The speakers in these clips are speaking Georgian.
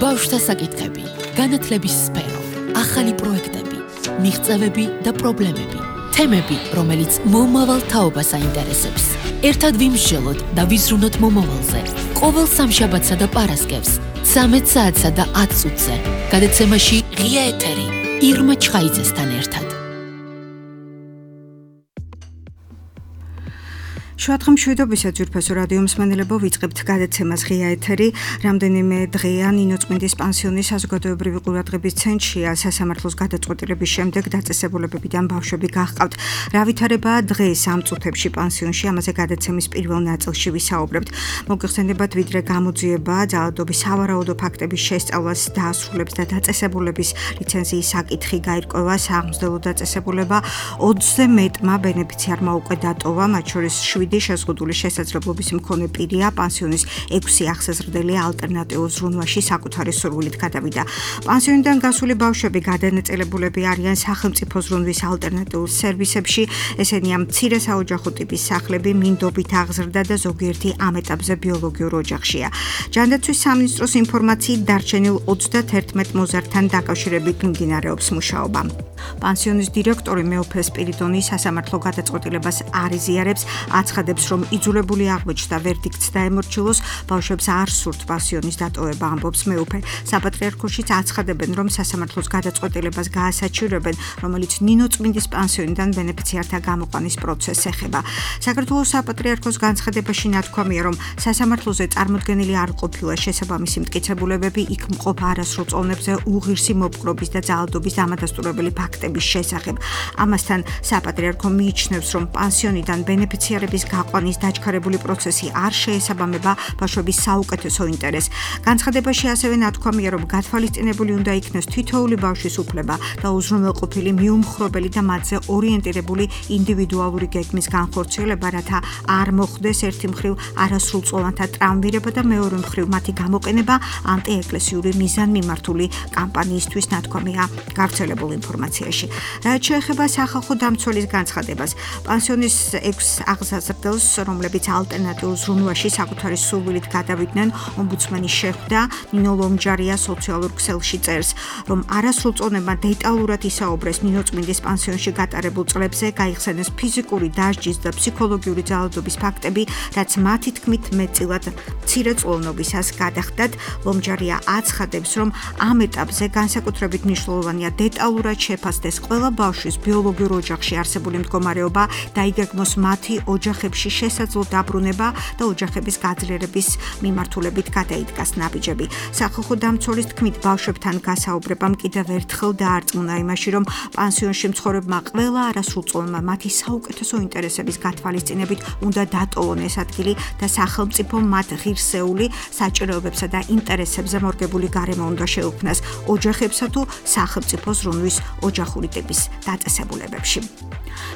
ბავშვთა საკითხები, განათლების სფერო, ახალი პროექტები, მიღწევები და პრობლემები, თემები, რომელიც მომავალ თაობას აინტერესებს. ერთად ვიმსჯელოთ და ვიზრუნოთ მომავალზე. ყოველ სამშაბათსა და პარასკევს, 13 საათსა და 10 წუთზე, გადაცემაში ღია ეთერი, ირმა ჩხაიძესთან ერთად. შუადღე მშვიდობისა ძვირფასო რადიო მსმენელებო, ვიწყებთ გადაცემას ღია ეთერი. რამდენიმე დღეა ნინო წმინდის პანსიონის საზოგადოებრივი ყურადღების ცენტრშია. სასამართლოს გადაწყვეტილების შემდეგ დაწესებულებებიდან ბავშვები გაჰყავთ. რა ვითარებაა დღეს ამ წუთებში პანსიონში, ამაზე გადაცემის პირველ ნაწილში ვისაუბრებთ. მოგეხსენებათ, ვიდრე გამოძიება ძალადობის სავარაუდო ფაქტების შესწავლას დაასრულებს და დაწესებულების ლიცენზიის საკითხი გაირკვევა სააღმსდელო დაწესებულება 20-ზე მეტმა ბენეფიციარმა უკვე დატოვა, მათ შორის 7 შეზღუდული შესაძლებლობის მქონე პირია პანსიონის 6 ახსეზრდელი ალტერნატიულ ზრუნვაში საკუთარი სურვილით გადავიდა. პანსიონიდან გასული ბავშვები გადანაწილებულები არიან სახელმწიფო ზრუნვის ალტერნატიულ სერვისებში, ესენია მცირე საოჯახო ტიპის სახლები, მინდობით აღზრდა და ზოგიერთი ამ ეტაპზე ბიოლოგიურ ოჯახშია. ჯანდაცვის სამინისტროს ინფორმაციით დარჩენილ 31 მოზარდთან დაკავშირებით მიმდინარეობს მუშაობა. პანსიონის დირექტორი მეუფე სპირიდონი სასამართლო გადაწყვეტილებას არ იზიარებს, აცხადებს, რომ იძულებული აღმოჩნდა ვერდიქტს დაემორჩილოს, ბავშვებს არ სურთ პანსიონის დატოვება, ამბობს მეუფე. საპატრიარქოშიც აცხადებენ, რომ სასამართლოს გადაწყვეტილებას გაასაჩივრებენ, რომელიც ნინო წმინდის პანსიონიდან ბენეფიციართა გამოყვანის პროცესს ეხება. საქართველოს საპატრიარქოს განცხადებაში ნათქვამია, რომ სასამართლოზე წარმოდგენილი არ ყოფილა შესაბამისი მტკიცებულებები იქ მყოფ არასრულ წონებზე უღირსი მოპყრობის და ძალადობის დამადასტურებელი ფაქტების შესახებ. ამასთან საპატრიარქო მიიჩნევს, რომ პანსიონიდან ბენეფიციარების გაყვანის დაჩქარებული პროცესი არ შეესაბამება ბავშვების საუკეთესო ინტერესს. განცხადებაში ასევე ნათქვამია, რომ გათვალისწინებული უნდა იქნეს თითოეული ბავშვის უფლება და უზრუნველყოფილი მიუმხრობელი და მათზე ორიენტირებული ინდივიდუალური გეგმის განხორციელება, რათა არ მოხდეს ერთი მხრივ არასრულწლოვანთა ტრავმირება და მეორე მხრივ მათი გამოყენება ანტიეკლესიური მიზანმიმართული კამპანიისთვის, ნათქვამია გავრცელებულ ინფორმაციაში. რაც შეეხება სახალხო დამცველის განცხადებას, პანსიონის 6 აღზრდელს, რომლებიც ალტერნატიულ ზრუნვაში საკუთარი სურვილით გადავიდნენ, ომბუდსმენი შეხვდა. ნინო ლომჯარია სოციალურ ქსელში წერს, რომ არასრულწლოვანებმა დეტალურად ისაუბრეს ნინო წმინდის პანსიონში გატარებულ წლებზე, გაიხსენეს ფიზიკური დასჯის და ფსიქოლოგიური ძალადობის ფაქტები, რაც მათი თქმით მეტწილად მცირეწლოვნობისას გადახდათ. ლომჯარია აცხადებს, რომ ამ ეტაპზე განსაკუთრებით მნიშვნელოვანია დეტალურად შეფასდეს ყველა ბავშვის ბიოლოგიურ ოჯახში არსებული მდგომარეობა და იგეგმოს მათი ოჯახებში შესაძლო დაბრუნება და ოჯახების გაძლიერების მიმართულებით გადაიდგას ნაბიჯები. სახალხო დამცველის თქმით, ბავშვებთან გასაუბრებამ კიდევ ერთხელ დაარწმუნა იმაში, რომ პანსიონში მცხოვრებმა ყველა არასრულწლოვანმა მათი საუკეთესო ინტერესების გათვალისწინებით უნდა დატოვონ ეს ადგილი და სახელმწიფო მათ ღირსეული საჭიროებებსა და ინტერესებზე მორგებული გარემო უნდა შეუქმნას ოჯახებსა თუ სახელმწიფო ზრუნვის ოჯახური ტიპის დაწესებულებებში.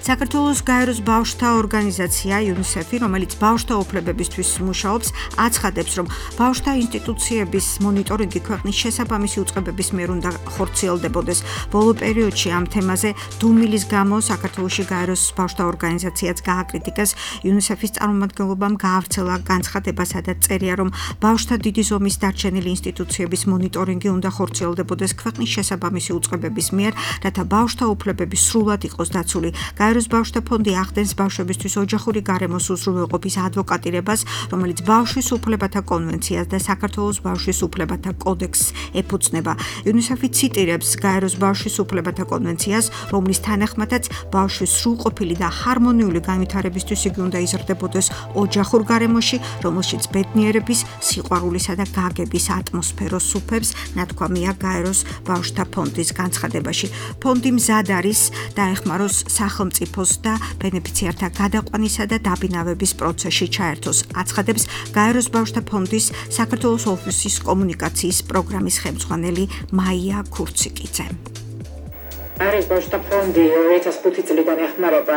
საქართველოს გაეროს ბავშვთა ორგანიზაცია UNICEF, რომელიც ბავშვთა უფლებებისთვის მუშაობს, აცხადებს, რომ ბავშვთა ინსტიტუციების მონიტორინგი ქვეყნის შესაბამისი უწყებების მიერ უნდა ხორციელდებოდეს. ბოლო პერიოდში ამ თემაზე დუმილის გამო საქართველოში გაეროს ბავშვთა ორგანიზაციაც გააკრიტიკეს. UNICEF-ის წარმომადგენლობამ გაავრცელა განცხადება, სადაც წერია, რომ ბავშვთა დიდი ზომის დარჩენილი ინსტიტუციების მონიტორინგი უნდა ხორციელდებოდეს ქვეყნის შესაბამისი უწყებების მიერ, რათა ბავშვთა უფლებები სრულად იყოს დაცული. გაეროს ბავშვთა ფონდი ახდენს ბავშვებისთვის ოჯახური გარემოს უზრუნველყოფის ადვოკატირებას, რომელიც ბავშვის უფლებათა კონვენციას და საქართველოს ბავშვის უფლებათა კოდექსს ეფუძნება. UNICEF-ი ციტირებს გაეროს ბავშვის უფლებათა კონვენციას, რომლის თანახმადაც ბავშვის სრულყოფილი და ჰარმონიული განვითარებისთვის იგი უნდა იზრდებოდეს ოჯახურ გარემოში, რომელშიც ბედნიერების, სიყვარულისა და გაგების ატმოსფეროს უფებს, ნათქვამია გაეროს ბავშვთა ფონდის განცხადებაში. ფონდი მზად არის დაეხმაროს სახელმწიფოს და ბენეფიციართა გადაყვანისა და დაბინავების პროცესში ჩაერთოს, აცხადებს გაეროს ბავშვთა ფონდის საქართველოს ოფისის კომუნიკაციის პროგრამის ხელმძღვანელი მაია ქურციკიძე. არის ბავშვთა ფონდი 2005 წლიდან ეხმარება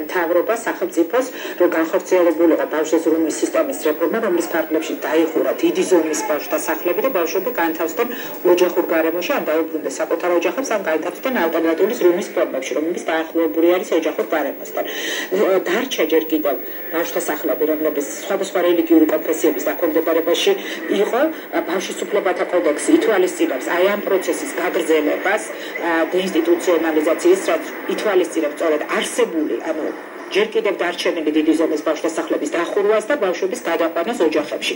მთავრობას სახელმწიფოს რომ განხორციელებულიყო ბავშვთა ზრუნვის სისტემის რეფორმა, რომლის ფარგლებში დაიხურა დიდი ზომის ბავშვთა სახლები და ბავშვები განთავსდნენ ოჯახურ გარემოში, ან დაუბრუნდნენ საკუთარ ოჯახებს, ან განთავსდნენ ალტერნატიული ზრუნვის ფორმებში, რომლებიც დაახლოებული არის ოჯახურ გარემოსთან. დარჩა ჯერ კიდევ ბავშვთა სახლები, რომლებიც სხვადასხვა რელიგიური კონფესიების დაქვემდებარებაში იყო. ბავშვის უფლებათა კოდექსი ითვალისწინებს აი ამ პროცესის გაგრძელებას და ინსტიტუციონალიზაციის, რაც ითვალისწინებს სწორედ არსებული, ანუ ჯერ კიდევ დარჩენილი დიდი ზომის ბავშვთა სახლების დახურვას და ბავშვების გადაყვანას ოჯახებში.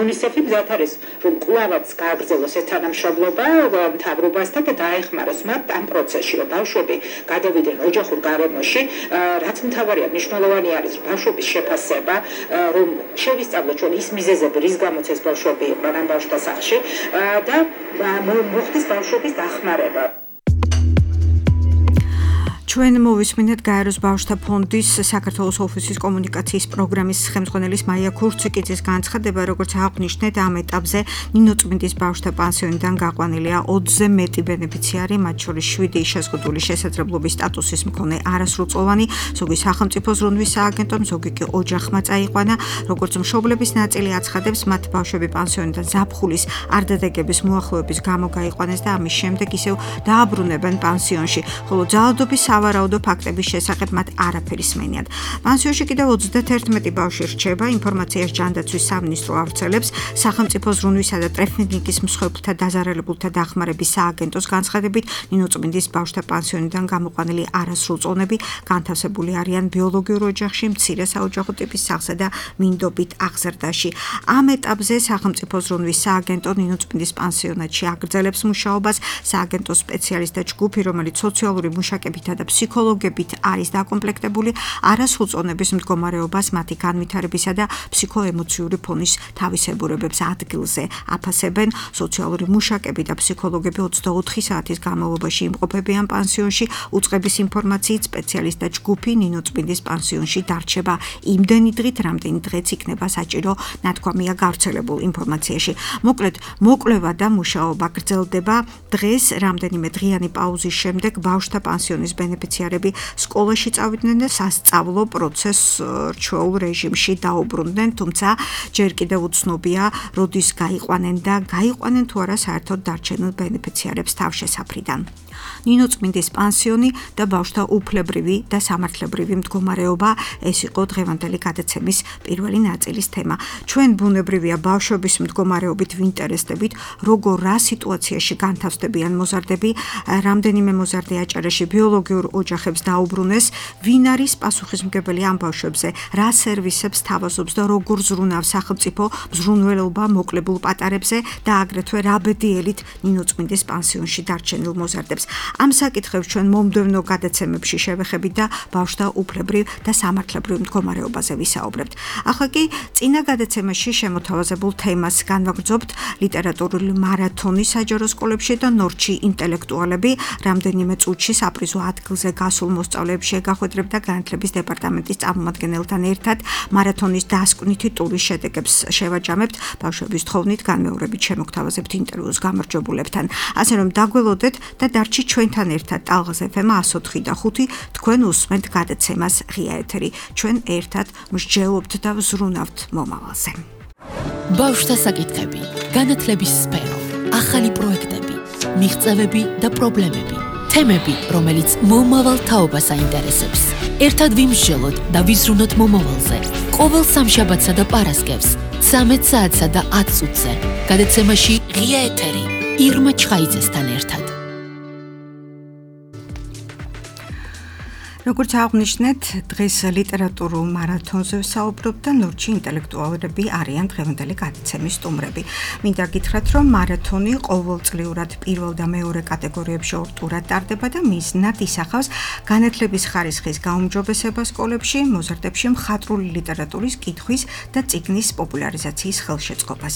UNICEF-ი მზად არის, რომ კვლავაც გააგრძელოს ეს თანამშრომლობა მთავრობასთან და დაეხმაროს მათ ამ პროცესში, რომ ბავშვები გადავიდნენ ოჯახურ გარემოში, რაც მთავარია, მნიშვნელოვანი არის ბავშვების შეფასება, რომ შევისწავლოთ ჩვენ ის მიზეზები, რის გამოც ეს ბავშვები იყვნენ ამ ბავშვთა სახლში და მოხდეს ბავშვების დახმარება. ჩვენ მოვისმინეთ გაეროს ბავშვთა ფონდის საქართველოს ოფისის კომუნიკაციის პროგრამის ხელმძღვანელის მაია ქურციკიძის განცხადება, როგორც აღნიშნეთ, ამ ეტაპზე ნინო წმინდის ბავშვთა პანსიონიდან გაყვანილია 20-ზე მეტი ბენეფიციარი, მათ შორის 7 შეზღუდული შესაძლებლობის სტატუსის მქონე არასრულწლოვანი, ზოგი სახელმწიფო ზრუნვის სააგენტომ, ზოგი კი ოჯახმა წაიყვანა. როგორც მშობლების ნაწილი აცხადებს, მათ ბავშვები პანსიონიდან ზაფხულის არდადეგების მოახლოების გამო გაიყვანეს და ამის შემდეგ ისევ დააბრუნებენ პანსიონში, ხოლო ძალადობის სავარაუდო ფაქტების შესახებ მათ არაფერი სმენიათ. პანსიონში კიდევ 31 ბავშვი რჩება. ინფორმაციას ჯანდაცვის სამინისტრო ავრცელებს. სახელმწიფო ზრუნვისა და ტრეფინგის მსხვერპლთა დაზარალებულთა დახმარების სააგენტოს განცხადებით, ნინო წმინდის ბავშვთა პანსიონიდან გამოყვანილი არასრულწლოვნები განთავსებული არიან ბიოლოგიურ ოჯახში, მცირე საოჯახო ტიპის სახლსა და მინდობით აღზრდაში. ამ ეტაპზე სახელმწიფო ზრუნვის სააგენტო ნინო წმინდის პანსიონატში აგრძელებს მუშაობას. სააგენტოს სპეციალისტთა ჯგუფი, რომელიც სოციალური მუშაკებითა და ფსიქოლოგებით არის დაკომპლექტებული, არასრულწლოვნების მდგომარეობას, მათი განვითარებისა და ფსიქოემოციური ფონის თავისებურებებს ადგილზე აფასებენ. სოციალური მუშაკები და ფსიქოლოგები 24 საათის განმავლობაში იმყოფებიან პანსიონში. უწყების ინფორმაციით სპეციალისტთა ჯგუფი ნინო წმინდის პანსიონში დარჩება იმდენი დღით, რამდენი დღეც იქნება საჭირო, ნათქვამია გავრცელებულ ინფორმაციაში. მოკლედ, მოკვლევა და მუშაობა გრძელდება. დღეს რამდენიმე დღიანი პაუზის შემდეგ ბავშვთა პანსიონის ბენეფიციარები სკოლაში წავიდნენ და სასწავლო პროცესს რჩეულ რეჟიმში დაუბრუნდნენ, თუმცა ჯერ კიდევ უცნობია, როდის გაიყვანენ და გაიყვანენ თუ არა საერთოდ დარჩენილ ბენეფიციარებს თავშესაფრიდან. ნინო წმინდის პანსიონი და ბავშვთა უფლებრივი და სამართლებრივი მდგომარეობა, ეს იყო დღევანდელი გადაცემის პირველი ნაწილის თემა. ჩვენ ბუნებრივია ბავშვების მდგომარეობით ვინტერესდებით, როგორ რა სიტუაციაში განთავსდებიან მოზარდები, რამდენიმე მოზარდი აჭარაში ბიოლოგიურ ოჯახებს დაუბრუნეს, ვინ არის პასუხისმგებელი ამ ბავშვებზე, რა სერვისებს თავაზობს და როგორ ზრუნავს სახელმწიფო მზრუნველობა მოკლებულ პატარებზე და აგრეთვე რა ბედიელით ნინო წმინდის პანსიონში დარჩენილ მოზარდებს. ამ საკითხებს ჩვენ მომდევნო გადაცემებში შევეხებით და ბავშვთა უფლებრივ და სამართლებრივ მდგომარეობაზე ვისაუბრებთ. ახლა კი წინა გადაცემაში შემოთავაზებულ თემას განვაგრძობთ. ლიტერატურული მარათონი საჯარო სკოლებში და ნორჩი ინტელექტუალები რამდენიმე წუთში საპრიზო ადგილზე გასულ მოსწავლეებს შეგახვედრებდა განათლების დეპარტამენტის წარმომადგენელთან ერთად. მარათონის დასკვნითი ტურის შედეგებს შევაჯამებთ. ბავშვების თხოვნით განმეორებით შემოგთავაზებთ ინტერვიუს გამარჯვებულებთან. ასე რომ დაგველოდეთ და დარჩი ჩვენთან ერთად ტალღაზ FM 104.5 თქვენ უსმენთ გადაცემას ღია ეთერი. ჩვენ ერთად მსჯელობთ და ვზრუნავთ მომავალზე. ბავშვთა საკითხები, განათლების სფერო, ახალი პროექტები, მიღწევები და პრობლემები, თემები, რომელიც მომავალ თაობას აინტერესებს. ერთად ვიმსჯელოთ და ვიზრუნოთ მომავალზე. ყოველ სამშაბათსა და პარასკევს 13 საათსა და 10 წუთზე. გადაცემაში ღია ეთერი ირმა ჩხაიძესთან ერთად. როგორც აღნიშნეთ, დღეს ლიტერატურულ მარათონზე ვსაუბრობთ და ნორჩი ინტელექტუალები არიან დღევანდელი გადაცემის სტუმრები. მინდა გითხრათ, რომ მარათონი ყოველწლიურად პირველ და მეორე კატეგორიებში ორ ტურად ტარდება და მიზნად ისახავს განათლების ხარისხის გაუმჯობესება სკოლებში, მოზარდებში მხატვრული ლიტერატურის კითხვის და წიგნის პოპულარიზაციის ხელშეწყობას.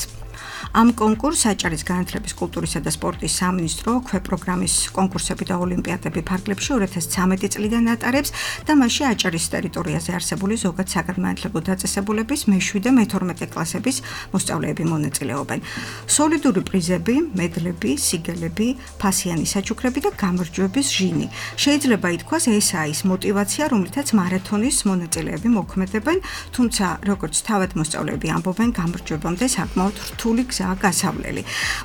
ამ კონკურსს აჭარის განათლების, კულტურისა და სპორტის სამინისტრო ქვეპროგრამის კონკურსები და ოლიმპიადები ფარგლებში 2013 წლიდან ატარებს და მასში აჭარის ტერიტორიაზე არსებული ზოგად საგანმანათლებლო დაწესებულების მე-7 და მე-12 კლასების მოსწავლეები მონაწილეობენ. სოლიდური პრიზები, მედლები, სიგელები, ფასიანი საჩუქრები და გამარჯვების ჟინი. შეიძლება ითქვას, ესაა ის мотиваცია, რომლითაც მარათონის მონაწილეები მოქმედებენ, თუმცა როგორც თავად მოსწავლეები ამბობენ, გამარჯვებამდე საკმაოდ რთული გზაა გასავლელი.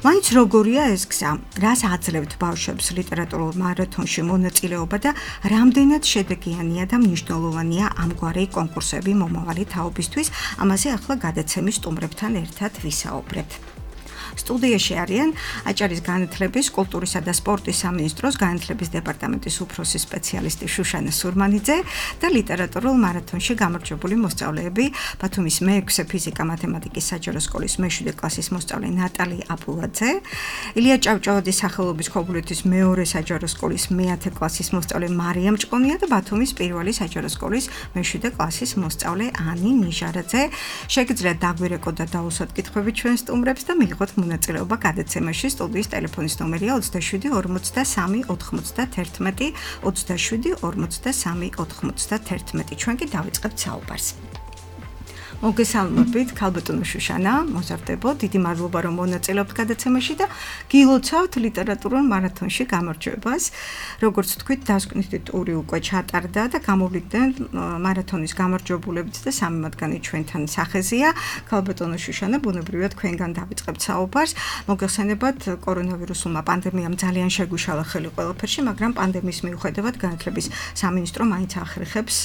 მაინც როგორია ეს გზა? რას აძლევთ ბავშვებს ლიტერატურულ მარათონში მონაწილეობა და რამდენად შედეგიანია და მნიშვნელოვანია ამგვარი კონკურსები მომავალი თაობისთვის? ამაზე ახლა გადაცემის სტუმრებთან ერთად ვისაუბრებთ. სტუდიაში არიან აჭარის განათლების, კულტურისა და სპორტის სამინისტროს განათლების დეპარტამენტის უფროსი სპეციალისტი შუშანა სურმანიძე და ლიტერატურულ მარათონში გამარჯვებული მოსწავლეები ბათუმის მე-6 ფიზიკა-მათემატიკის საჯარო სკოლის მე-7 კლასის მოსწავლე ნატალი აბულაძე, ილია ჭავჭავაძის სახელობის ქობულეთის მეორე საჯარო სკოლის მე-10 კლასის მოსწავლე მარიამ ჭყონია და ბათუმის პირველი საჯარო სკოლის მე-7 კლასის მოსწავლე ანი ნიჟარაძე. შეგიძლიათ დაგვირეკოთ და დაუსვათ კითხვები ჩვენ სტუმრებს და მიიღოთ მონაწილეობა გადაცემაში. სტუდიის ტელეფონის ნომერია 27 43 91 27 43 91. ჩვენ კი დავიწყებთ საუბარს. მოგესალმებით, ქალბატონო შუშანა, მოზარდებო, დიდი მადლობა რომ მონაწილეობთ გადაცემაში და გილოცავთ ლიტერატურულ მარათონში გამარჯვებას. როგორც თქვით, დასკვნითი ტური უკვე ჩატარდა და გამოვლინდნენ მარათონის გამარჯვებულებიც და სამი მათგანი ჩვენთან სახეზეა. ქალბატონო შუშანა, ბუნებრივია თქვენგან დავიწყებთ საუბარს. მოგეხსენებათ, კორონავირუსულმა პანდემიამ ძალიან შეგვიშალა ხელი ყველაფერში, მაგრამ პანდემიის მიუხედავად განათლების სამინისტრო მაინც ახერხებს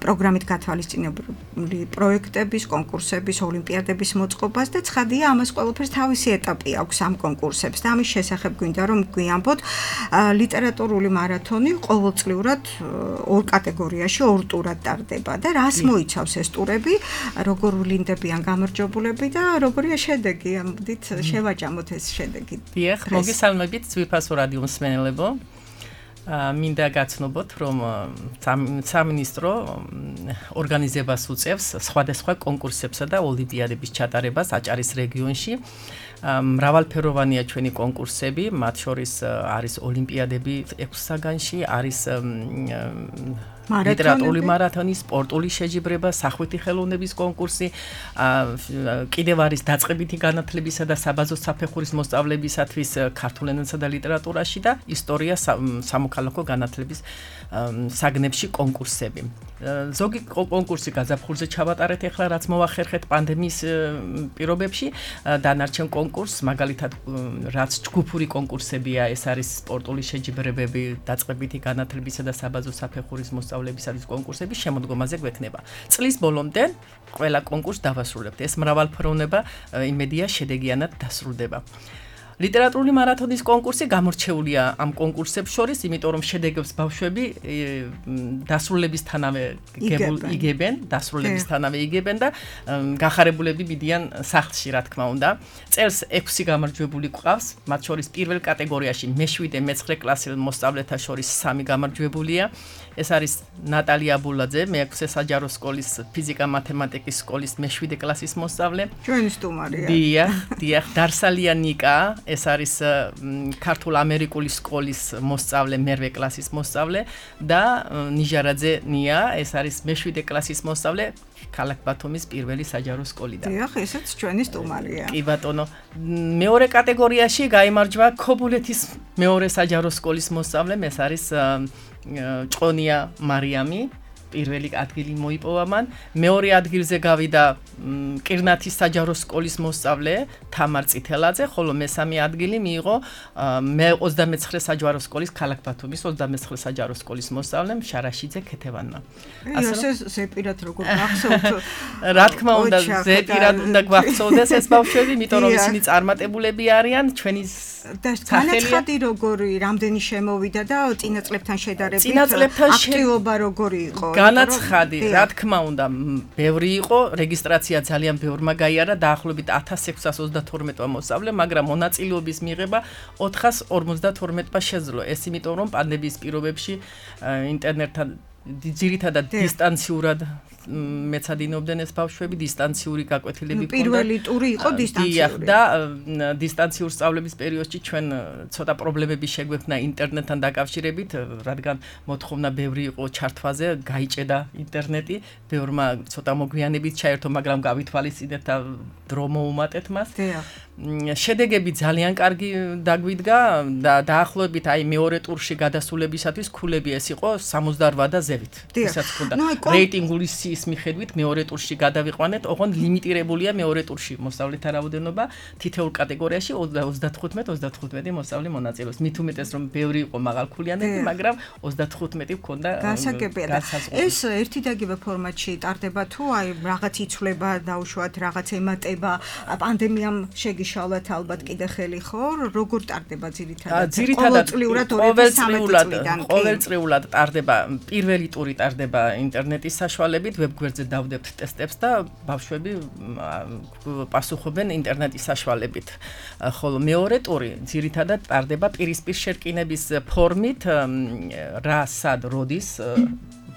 პროგრამით გათვალისწინებული პროექტების, კონკურსების, ოლიმპიადების მოწყობას და ცხადია, ამას ყველაფერს თავისი ეტაპი აქვს ამ კონკურსებს და ამის შესახებ გვინდა რომ გვიამბოთ. ლიტერატურული მარათონი ყოველწლიურად ორ კატეგორიაში, ორ ტურად ტარდება და რას მოიცავს ეს ტურები, როგორ ვლინდებიან გამარჯვებულები და როგორია შედეგი? ამბდით, შევაჭამოთ ეს შედეგი. დიახ, მოგესალმებით, ძვირფასო რადიო მსმენელებო. მინდა გაცნობოთ, რომ სამინისტრო ორგანიზებას უწევს სხვადასხვა კონკურსებსა და ოლიმპიადების ჩატარებას აჭარის რეგიონში. მრავალფეროვანია ჩვენი კონკურსები, მათ შორის არის ოლიმპიადები 6 საგანში, არის ლიტერატურული მარათონი, სპორტული შეჯიბრება, სახვითი ხელოვნების კონკურსი, კიდევ არის დაწყებითი განათლებისა და საბაზო საფეხურის მოსწავლებისათვის ქართულ ენასა და ლიტერატურაში და ისტორია სამოქალაქო განათლების საგნებში კონკურსები. ზოგი კონკურსი გაზაფხულზე ჩავატარეთ ახლა, რაც მოახერხეთ პანდემიის პირობებში. დანარჩენ კონკურსს, მაგალითად, რაც ჯგუფური კონკურსებია, ეს არის სპორტული შეჯიბრებები, დაწყებითი განათლებისა და საბაზო საფეხურის მოსწავლებისათვის კონკურსები შემოდგომაზე გვექნება. წლის ბოლომდე ყველა კონკურსს დავასრულებთ. ეს მრავალფეროვნება იმედია შედეგიანად დასრულდება. ლიტერატურული მარათონის კონკურსი გამორჩეულია ამ კონკურსებს შორის, იმიტომ რომ შედეგებს ბავშვები დასრულებისთანავე იგებენ და გახარებულები მიდიან სახლში, რა თქმა უნდა. წელს 6 გამარჯვებული გვყავს, მათ შორის პირველ კატეგორიაში მე-7 მე-9 კლასის მოსწავლეთა შორის 3 გამარჯვებულია. ეს არის ნატალი აბულაძე, მე-6 საჯარო სკოლის ფიზიკა-მათემატიკის სკოლის მე-7 კლასის მოსწავლე. ჩვენი სტუმარია. დიახ, დარსალია ნიკა, ეს არის ქართულ-ამერიკული სკოლის მოსწავლე, მე-8 კლასის მოსწავლე და ნიჟარაძე ნია, ეს არის მე-7 კლასის მოსწავლე ქალაქ ბათუმის პირველი საჯარო სკოლიდან. დიახ, ესეც ჩვენი სტუმარია. კი ბატონო, მეორე კატეგორიაში გაიმარჯვა ქობულეთის მეორე საჯარო სკოლის მოსწავლე, ეს არის ჭყონია მარიამი, პირველი ადგილი მოიპოვა მან. მეორე ადგილზე გავიდა კირნათის საჯარო სკოლის მოსწავლე თამარ წითელაძე, ხოლო მესამე ადგილი მიიღო მე-29 საჯარო სკოლის ქალაქ ბათუმის 29 საჯარო სკოლის მოსწავლემ შარაშიძე ქეთევანმა. ასე ზეპირად როგორ გახსოვთ? რა თქმა უნდა, ზეპირად უნდა გვახსოვდეს ეს ბავშვები, იმიტომ რომ ისინი წარმატებულები არიან, ჩვენი განაცხადი როგორი, რამდენი შემოვიდა და წინა წლებთან შედარებით აქტივობა როგორი იყო? განაცხადი, რა თქმა უნდა, ბევრი იყო, რეგისტრაცია ძალიან ბევრმა გაიარა, დაახლოებით 1632 მოსწავლე, მაგრამ მონაწილეობის მიღება 452-მა შეძლო. ეს იმიტომ რომ პანდემიის პირობებში ინტერნეტთან ძირითადად დისტანციურად მეცადინობდნენ ეს ბავშვები, დისტანციური გაკვეთილები ჰქონდა. პირველი ტური იყო დისტანციური. და დისტანციურ სწავლების პერიოდში ჩვენ ცოტა პრობლემები შეგვექნა ინტერნეტთან დაკავშირებით, რადგან მოთხოვნა ბევრი იყო ჩართვაზე, გაიჭედა ინტერნეტი, ბევრმა ცოტა მოგვიანებით ჩაერთო, მაგრამ გავითვალისწინეთ და დრო მოუმატეთ მას. შედეგები ძალიან კარგი დაგვიდგა და დაახლოებით აი მეორე ტურში გადასულებისათვის ქულები ეს იყო 68 და ზევით. ისაც ჰქონდა რეიტინგული სიის მიხედვით მეორე ტურში გადავიყვანეთ, ოღონდ ლიმიტირებულია მეორე ტურში მოსწავლეთა რაოდენობა თითოეულ კატეგორიაში 35 მოსწავლე მონაწილეობს. მით უმეტეს რომ ბევრი იყო მაღალქულიანები, მაგრამ 35 ჰქონდა განსაზღვრული. ეს ერთი დაგება ფორმატში ტარდება თუ აი რაღაც იცვლება დაუშვათ, რაღაც ემატება, პანდემიამ შეგიშალათ ალბათ კიდე ხელი ხო? როგორ ტარდება ძირითადად? ყოველწლიურად 2013 წლიდან. ყოველწლიურად ტარდება, პირველი ტური ტარდება ინტერნეტის საშუალებით, ვებგვერდზე დავდებთ ტესტებს და ბავშვები პასუხობენ ინტერნეტის საშუალებით. ხოლო მეორე ტური ძირითადად ტარდება პირისპირ შერკინების ფორმით, რა, სად, როდის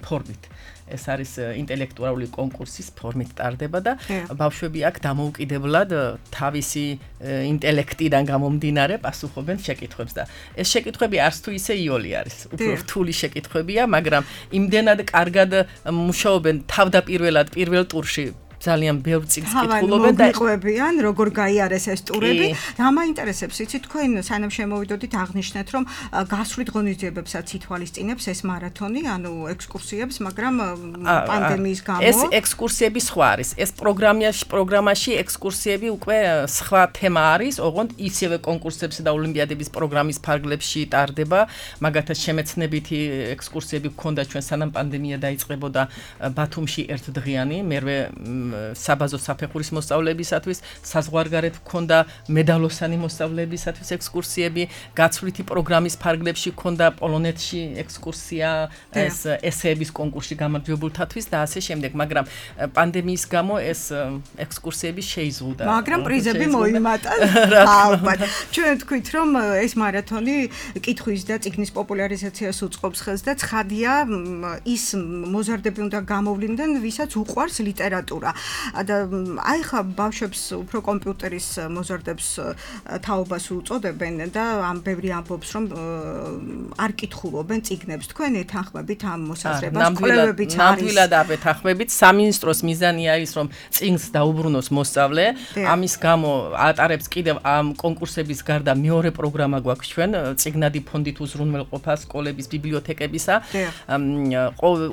ფორმით. ეს არის ინტელექტუალური კონკურსის ფორმით ტარდება და ბავშვები აქ დამოუკიდებლად თავისი ინტელექტიდან გამომდინარე პასუხობენ შეკითხვებს და ეს შეკითხვები არც თუ ისე იოლი არის. უფრო რთული შეკითხვებია, მაგრამ იმდენად კარგად მუშაობენ თავდაპირველად პირველ ტურში. ძალიან ბევრ წიგნს კითხულობენ და მოგვიყვებიან, როგორ გაიარეს ეს ტურები. რა მაინტერესებს, იცით, თქვენ სანამ შემოვიდოდით აღნიშნეთ, რომ გასვლით ღონისძიებებსაც ითვალისწინებს ეს მარათონი, ანუ ექსკურსიებს, მაგრამ პანდემიის გამო ეს ექსკურსიები სხვა არის. ეს პროგრამაში ექსკურსიები უკვე სხვა თემა არის, ოღონდ ისევე კონკურსებს და ოლიმპიადების პროგრამის ფარგლებში ტარდება. მაგათაც შემეცნებითი ექსკურსიები გქონდა ჩვენ სანამ პანდემია დაიწყებოდა ბათუმში ერთდღიანი, მერვე საბაზო საფეხურის მოსწავლეებისათვის, საზღვარგარეთ ჰქონდა მედალოსანი მოსწავლეებისათვის ექსკურსიები, გაცვლითი პროგრამის ფარგლებში ჰქონდა პოლონეთში ექსკურსია, ეს ესეების კონკურსში გამარჯვებულთათვის და ასე შემდეგ, მაგრამ პანდემიის გამო ეს ექსკურსიები შეიზღუდა. მაგრამ პრიზები მოიმატა. ალბათ. ჩვენ თქვით, რომ ეს მარათონი კითხვის და წიგნის პოპულარიზაციას უწყობს ხელს და ცხადია, ის მოზარდები უნდა გამოვლინდნენ, ვისაც უყვარს ლიტერატურა. და აი ხა ბავშვებს უფრო კომპიუტერის მოზარდებს თაობას უწოდებენ და ამ ბევრი ამბობს რომ არ კითხულობენ წიგნებს. თქვენ ეთანხმებით ამ მოსაზრებას? კვლევებიც არის. ნამდვილად ეთანხმებით. სამინისტროს მიზანი არის რომ წიგნს დაუბრუნოს მოსწავლე. ამის გამო ატარებს კიდევ ამ კონკურსების გარდა მეორე პროგრამა გვაქვს ჩვენ წიგნადი ფონდით უზრუნველყოფა სკოლების ბიბლიოთეკებისა.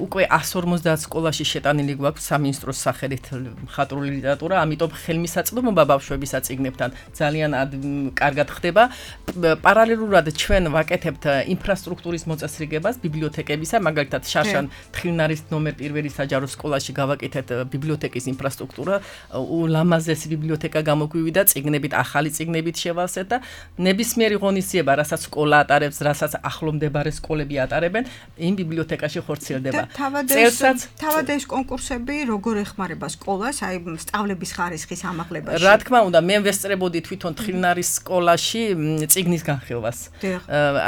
უკვე 150 სკოლაში შეტანილი გვაქვს სამინისტროს სახელით მხატვრული ლიტერატურა, ამიტომ ხელმისაწვდომობა ბავშვების წიგნებთან ძალიან კარგად ხდება. პარალელურად ჩვენ ვაკეთებთ ინფრასტრუქტურის მოწესრიგებას ბიბლიოთეკებისა, მაგალითად შარშან თხილნარის ნომერ 1 საჯარო სკოლაში გავაკეთეთ ბიბლიოთეკის ინფრასტრუქტურა, ულამაზესი ბიბლიოთეკა გამოგვივიდა, წიგნებით, ახალი წიგნებით შევალსეთ და ნებისმიერი ღონისძიება, რასაც სკოლა ატარებს, რასაც ახლომდებარე სკოლები ატარებენ, იმ ბიბლიოთეკაში ხორციელდება. თავად ეს კონკურსები როგორ ეხმარება სკოლას, აი სწავლების ხარისხის ამაღლებაში? რა თქმა უნდა, მე ვესწრებოდი თვითონ თხილნარის სკოლაში წიგნის განხილვას.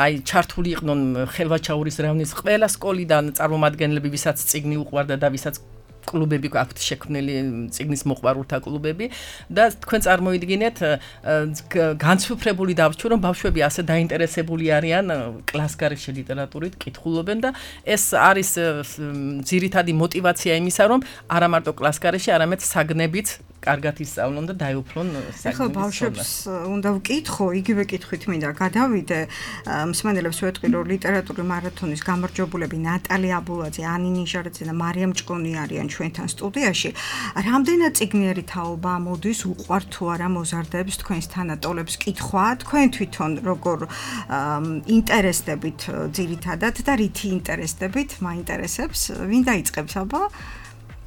აი ჩართული იყვნენ ხელვაჩაურის რაიონის ყველა სკოლიდან წარმომადგენლები, ვისაც წიგნი უყვარდა და ვისაც კლუბები აქვთ შექმნილი წიგნის მოყვარულთა კლუბები და თქვენ წარმოიდგინეთ განსუფრებული დავჭრ რომ ბავშვები ასე დაინტერესებული არიან კლასგარეშე ლიტერატურით კითხულობენ და ეს არის ძირითადი мотиваცია იმისა რომ არა მარტო კლასგარეშე არამედ საგნებიც კარგად ისწავლონ და დაეუფლონ საგნების. ახლა ბავშვებს უნდა ვკითხო, იგივე კითხვით მინდა გადავიდე. მსმენელებს ვეთქვი, რომ ლიტერატურის მარათონის გამარჯვებულები ნატალი აბულაძე, ანი ნიჟარაძე და მარიამ ჭკონი არიან ჩვენთან სტუდიაში. რამდენად წიგნიერი თაობა მოდის, უყვართ თუ არა მოზარდებს თქვენს თანატოლებს კითხვა, თქვენ თვითონ როგორ ინტერესდებით ძირითადად და რითი ინტერესდებით, მაინტერესებს, ვინ დაიწყებს აბა?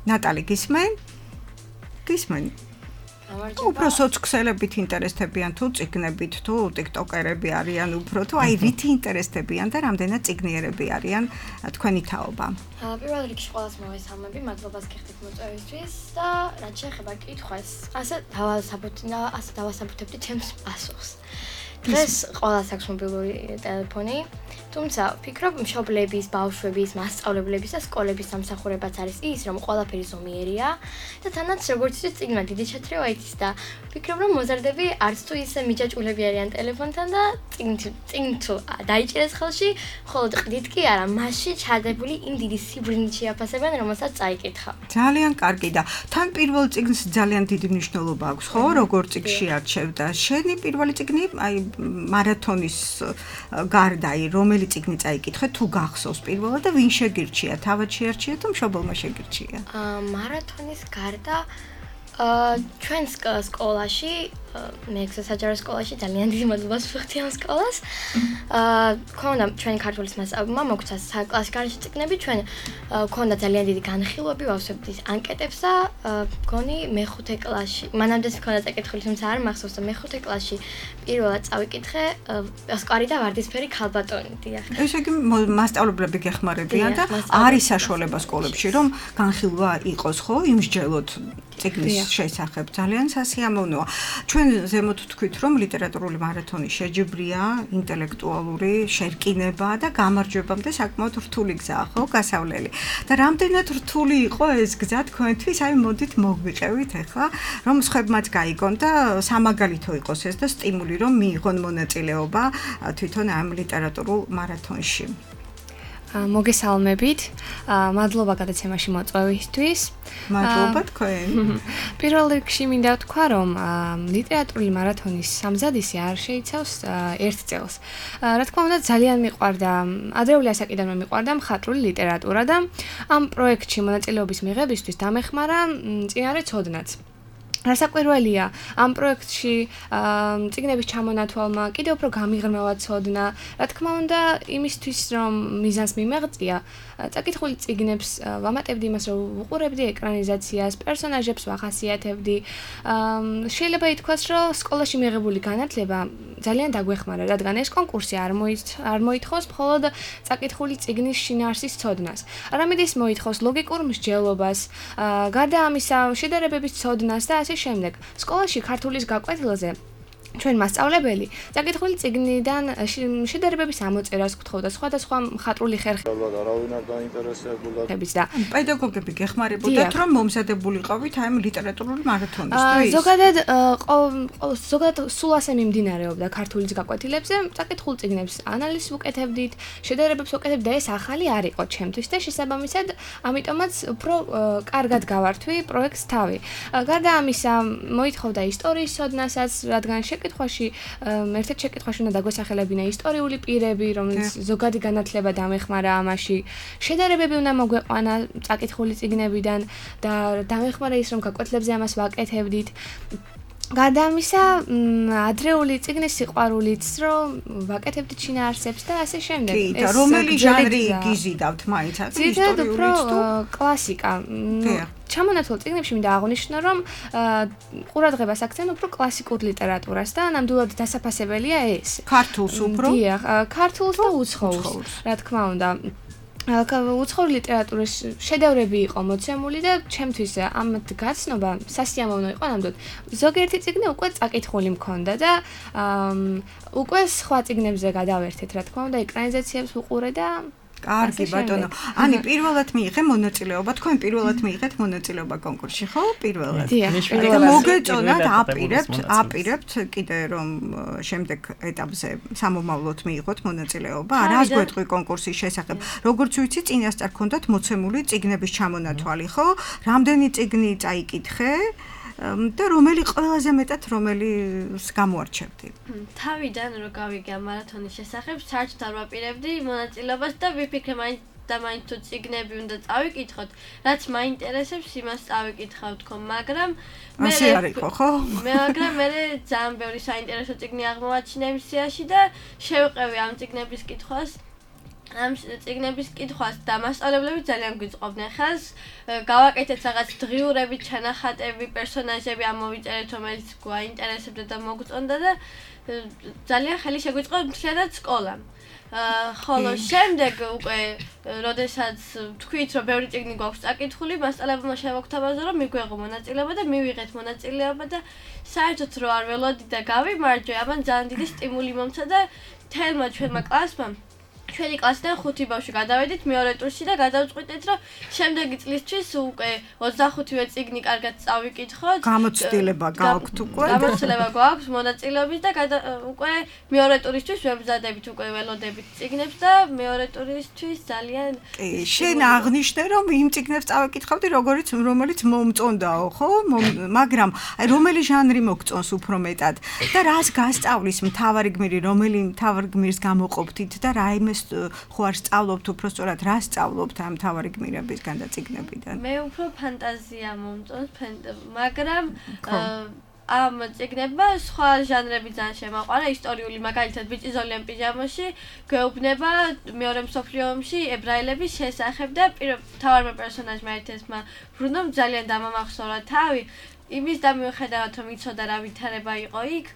ნატალი გისმენ? გისმენ. უფრო სოციქსელებით ინტერესდებიან თუ წიგნებით თუ ტიკტოკერები არიან უფრო თუ აი რითი ინტერესდებიან და რამდენად წიგნიერები არიან თქვენი თაობა. პირველ რიგში ყველას მოვესალმები, მადლობას გიხდით მოწვევისთვის და რაც შეეხება კითხვას, ასე დავასაბუთებდი ჩემს პასუხს. დღეს ყველას აქვს მობილური ტელეფონი თუმცა ვფიქრობ, მშობლების, ბავშვების, მასწავლებლების და სკოლების სამსახურებაც არის ის, რომ ყველაფერი ზომიერია და თანაც როგორც ის წიგნმა დიდი ჩათრევა იცის და ვფიქრობ, რომ მოზარდები არც თუ ისე მიჯაჭვულები არიან ტელეფონთან და წიგნ თუ დაიჭერეს ხელში, მხოლოდ ყდით კი არა, მასში ჩადებული იმ დიდი სიბრუნით შეაფასებენ, რომელსაც წაიკითხა. ძალიან კარგი და თან პირველ წიგნს ძალიან დიდი მნიშვნელობა აქვს, ხო, როგორ წიგნში არჩევ და შენი პირველი წიგნი, აი მარათონის გარდა, აი რომელი წიგნი წაიკითხე, თუ გახსოვს პირველად და ვინ შეგირჩია, თავად შეარჩია თუ მშობელმა შეგირჩია? მარათონის გარდა ჩვენ სკოლაში, მეექვსე საჯარო სკოლაში ძალიან დიდი მადლობას ვუხდი ამ სკოლას. ქონდა ჩვენი ქართულის მასწავლებელმა მოგვცა საკლასიკარში წიგნები, ჩვენ ქონდა ძალიან დიდი განხილვები, ვავსებდით ანკეტებს და მგონი მეხუთე კლასში, მანამდეც ქონდა წაკითხული, თუმცა არ მახსოვს და მეხუთე კლასში პირველად წავიკითხე ოსკარი და ვარდისფერი ქალბატონი, დიახ. ესე იგი მასწავლებლები გეხმარებიან და არის საშუალება სკოლებში, რომ განხილვა იყოს, ხო, იმსჯელოთ წიგნის შესახებ. ძალიან სასიამოვნოა. ჩვენ ზემოთ თქვით, რომ ლიტერატურული მარათონი შეჯიბრია, ინტელექტუალური შერკინება და გამარჯვებამდე საკმაოდ რთული გზაა, ხო, გასავლელი. და რამდენად რთული იყო ეს გზა თქვენთვის, აი მოდით მოგვიყევით ახლა, რომ სხვებმაც გაიგონ და სამაგალითო იყოს ეს და სტიმული რომ მიიღონ მონაწილეობა თვითონ ამ ლიტერატურულ მარათონში. მოგესალმებით. მადლობა გადაცემაში მოწვევისთვის. მადლობა თქვენ. პირველ რიგში მინდა ვთქვა, რომ ლიტერატურული მარათონის სამზადისი არ შეიცავს ერთ წელს. რა თქმა უნდა, ძალიან მიყვარდა, ადრეული ასაკიდანვე მიყვარდა მხატვრული ლიტერატურა და ამ პროექტში მონაწილეობის მიღებისთვის დამეხმარა წინარე ცოდნაც. რასაკვირველია, ამ პროექტში წიგნების ჩამონათვალმა კიდევ უფრო გამიღრმავა ცოდნა. რა თქმა უნდა, იმისთვის რომ მიზანს მიმეღწია, წაკითხული წიგნებს ვამატებდი იმას, რომ ვუყურებდი ეკრანიზაციას, პერსონაჟებს ვახასიათებდი. შეიძლება ითქვას, რომ სკოლაში მიღებული განათლება ძალიან დაგვეხმარა, რადგან ეს კონკურსი არ მოითხოვს მხოლოდ წაკითხული წიგნის შინაარსის ცოდნას. არამედ ის მოითხოვს ლოგიკურ მსჯელობას, გარდა ამისა, შედარებების ცოდნას და ასე შემდეგ. სკოლაში ქართულის გაკვეთილზე ჩვენ მასწავლებელი წაკითხული წიგნიდან შედარებების ამოწერას გთხოვდა სხვადასხვა მხატვრული ხერხებით. არავინ არ დაინტერესებულა. და პედაგოგები გეხმარებოდათ, რომ მომზადებულიყავით აი ამ ლიტერატურული მარათონისთვის. ზოგადად სულ ასე მიმდინარეობდა ქართულის გაკვეთილებზე, წაკითხულ წიგნებს ანალიზს ვუკეთებდით, შედარებებს ვუკეთებდით და ეს ახალი არ იყო ჩემთვის და შესაბამისად, ამიტომაც უფრო კარგად გავართვი პროექტს თავი. გარდა ამისა, მოითხოვდა ისტორიის ცოდნასაც, რადგან ერთ-ერთ შეკითხვაში უნდა დაგვესახელებინა ისტორიული პირები, რომელიც ზოგადი განათლება დამეხმარა ამაში. შედარებები უნდა მოგვეყვანა წაკითხული წიგნებიდან და დამეხმარა ის, რომ გაკვეთილებზე ამას ვაკეთებდით. გარდა ამისა, ადრეული წიგნის სიყვარულიც, რომ ვაკეთებდით შინაარსებს და ასე შემდეგ. კი, და რომელი ჟანრი გიზიდავთ მაინც ისტორიულიც თუ კლასიკა. ჩამონათვალ წიგნებში მინდა აღვნიშნო, რომ ყურადღებას აქცევენ უფრო კლასიკურ ლიტერატურას და ნამდვილად დასაფასებელია ეს. ქართულს უფრო? დიახ, ქართულს და უცხოურს, რა თქმა უნდა. უცხოური ლიტერატურის შედევრები იყო მოცემული და ჩემთვის ამათ გაცნობა სასიამოვნო იყო ნამდვილად. ზოგიერთი წიგნი უკვე წაკითხული მქონდა და უკვე სხვა წიგნებზე გადავერთეთ, რა თქმა უნდა, ეკრანიზაციებს ვუყურე და კარგი ბატონო. ანი პირველად მიიღე მონაწილეობა, თქვენ პირველად მიიღეთ მონაწილეობა კონკურსში, ხო? პირველად. დიახ, მოგეწონათ, აპირებთ კიდე რომ შემდეგ ეტაპზე სამომავლოდ მიიღოთ მონაწილეობა. რას გვეტყვი კონკურსის შესახებ? როგორც ვიცი, წინასწარ გქონდათ მოცემული წიგნების ჩამონათვალი, ხო? რამდენი წიგნი წაიკითხე? და რომელი ყველაზე მეტად რომელის გამოარჩევდი? თავიდან რო გავიგე მარათონის შესახებ, საერთოდ არ ვაპირებდი მონაწილეობას და ვიფიქრე მაინც თუ წიგნები უნდა წავიკითხოთ, რაც მაინტერესებს, იმას წავიკითხავ თქო, მაგრამ ასე არ იყო, ხო? მაგრამ მე ძალიან ბევრი საინტერესო წიგნი აღმოვაჩინე იმ სიაში და შევყევი ამ წიგნების კითხვას. ამ წიგნების კითხვას და მასწავლებლები ძალიან გვიწყობდნენ ხელს. გავაკეთეთ რაღაც დღიურები, ჩანახატები, პერსონაჟები ამოვიწერეთ, რომელიც გვაინტერესებდა და მოგწონდა და ძალიან ხელი შეგვიწყო მთლიანად სკოლამ. ხოლო შემდეგ უკვე როდესაც თქვით, რომ ბევრი წიგნი გვაქვს წაკითხული, მასწავლებელმა შევაგთავაზა, რომ მიგვეღო მონაწილეობა და მივიღეთ მონაწილეობა და საერთოდ რო არ ველოდი და გავიმარჯვე, ამან ძალიან დიდი სტიმული მომცა და თელმა ჩვენმა კლასმა ჩვენი კლასიდან 5 ბავშვი გადავედით მეორე ტურში და გადავწყვიტეთ, რომ შემდეგი წლისთვის უკვე 25-ვე წიგნი კარგად წავიკითხოთ. გამოცდილება გაქვთ უკვე? გამოცდილება გვაქვს მონაწილეობის და უკვე მეორე ტურისთვის ვემზადებით უკვე ველოდებით წიგნებს და მეორე ტურისთვის ძალიან შენ აღნიშნე რომ იმ წიგნებს წავიკითხავდი რომელიც მომწონდაო, ხო? მაგრამ აი რომელი ჟანრი მოგწონს უფრო მეტად და რას გასწავლის მთავარი გმირი, რომელი მთავარ გმირს გამოყოფთით და რა იმეს ხო არ სწავლობთ უფრო სწორად რა სწავლობთ ამ მთავარი გმირებისგან და წიგნებიდან? მე უფრო ფანტაზია მომწონს, მაგრამ ამ წიგნებმა სხვა ჟანრები ძალიან შემაყვარა, ისტორიული, მაგალითად ბიჭი ზოლიან პიჟამაში გვეუბნება მეორე მსოფლიო ომში ებრაელების შესახებ და მთავარმა პერსონაჟმა ერთ-ერთმა ბრუნომ ძალიან დამამახსოვრა თავი, იმის და მიუხედავად რომ იცოდა რა ვითარება იყო იქ,